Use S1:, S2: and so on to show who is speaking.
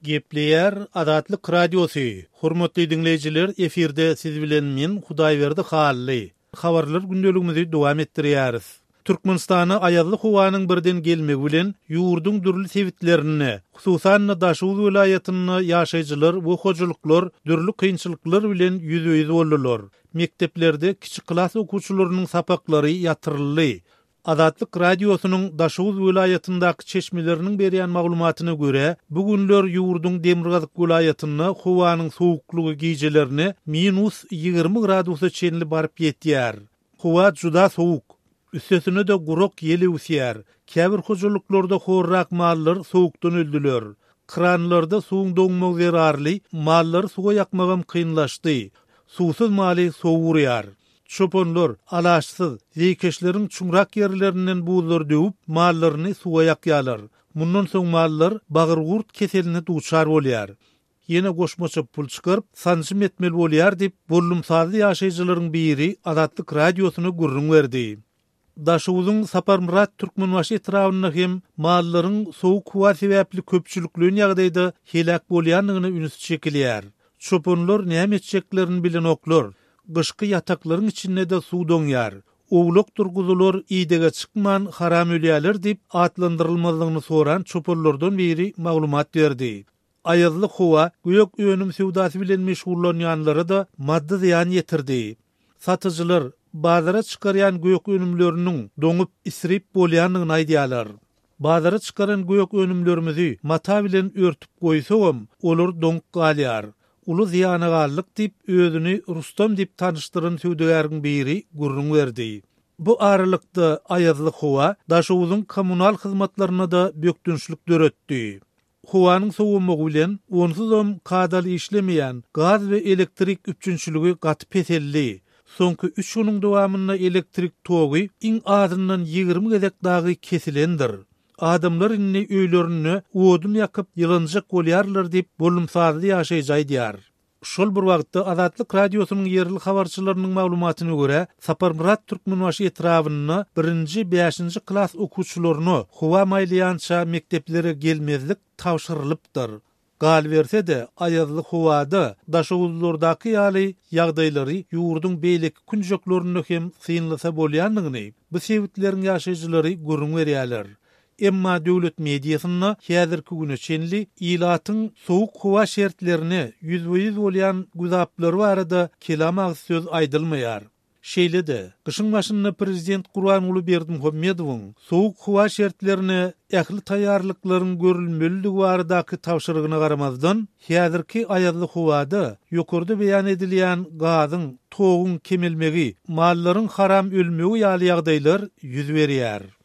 S1: Gepleýär Azatlyk Radiosy, Hormatly diňleýjiler, efirde siz bilen men Hudaýberdi Hally. Habarlar gündeligimizi dowam etdirýäris. Türkmenistana aýazly howanyň birden gelmegi bilen ýurduň dürli sebitlerinde, hususan-da Daşoguz welaýatynda ýaşaýjylar we hojalyklar dürli kynçylyklar bilen ýüzbe-ýüz boldular. Mekdeplerde kiçi klas okuwçylarynyň sapaklary ýatyryldy. Azatlyk Radiosynyň Daşoguz welaýatyndaky çeşmeleriniň berýän maglumatyna görä, bu günler ýurduň demirgazyk welaýatynda howanyň sowuklygy gijelerine minus 20 gradusa çenli baryp ýetýär. Howa juda sowuk. Üstesine-de gurak ýel öwüsýär. Käbir hojalyklarda horrak mallar sowukdan öldüler. Kranlarda suwuň doňmagy zerarly mallary suwa ýakmagam kynlaşdy. Suwsuz maly sowuk urýar. Çopanlar, alaçsyz, zeýkeşleriň çuňrak ýerlerinden buzlary döwüp, mallaryny suwa ýakýarlar. Mundan soň mallar bagyrgurt keseline duçar bolýar. Ýene goşmaça pul çykaryp, sanjym etmeli bolýar diýip, bollumsazly ýaşaýjylaryň biri Azatlyk Radiosyna gürrüň berdi. Daşoguzyň Saparmyrat Türkmenbaşy etrabynda hem mallaryň sowuk howa sebäpli köpçülikleýin ýagdaýda heläk bolýandygyna üns çekilýär. Çopanlar näme etjeklerini bilenoklar. Gyşky ýataklaryň içinde-de suw doňýar. Owlakdyr guzular idege çykman haram ölýärler diýip, atlandyrylmazlygyny soran çopanlardan biri maglumat berdi. Aýazly howa gök önüm söwdasy bilen meşgullanýanlara-da maddy zyýan ýetirdi. Satyjylar bazara çykarýan gök önümleriniň doňup, isrip bolýandygyny aýdýarlar. Bazara çykaran gök önümlerimizi mata bilen örtüp goýsagam, olar doňup galýar. Uly zyýana galdyk diýip, özüni Rustam diýip tanyşdyran söwdagäriň biri gürrüň berdi. Bu aralykda, aýazly howa Daşoguzyň kommunal hyzmatlaryna-da bökdençlik döretdi. Howanyň sowamagy bilen, onsuzam kadaly işlemeýän gaz we elektrik üpjünçiligi gaty peseldi. Soňky üç günüň dowamynda elektrik togy iň azyndan 20 gezek dagy kesilendir. Adamlar indi öýlerinde odun ýakyp ýylanjak bolýarlar diýip, bollumsazly ýaşaýjy aýdýar. Şol bir wagtda, Azatlyk Radiosynyň ýerli habarçylarynyň maglumatyna görä, Saparmyrat Türkmenbaşy etrabynda birinji, bäşinji klas okuwçylaryna howa maýlaýança mekdeplere gelmezlik tabşyrylypdyr. Galyberse-de, aýazly howada daşoguzlardaky ýaly ýagdaýlary ýurduň beýleki künjeklerinde hem synlasa bolýandygyny bu sebitleriň ýaşaýjylary gürrüň berýärler. Emma döwlet mediasynda häzirki güne çenli ilatyň sowuk howa şertlerine ýüzbe-ýüz bolýan güzaplary barada kelam agyz söz aýdylmaýar. Şeýle-de, gyşyň başynda prezident Gurbanguly Berdimuhamedowyň sowuk howa şertlerine ähli taýýarlyklaryň görülmelidigi baradaky tabşyrygyna garamazdan, häzirki aýazly howada ýokarda beýan edilýän gazyň, toguň kemelmegi, mallaryň haram ölmegi ýaly ýagdaýlar ýüz berýär.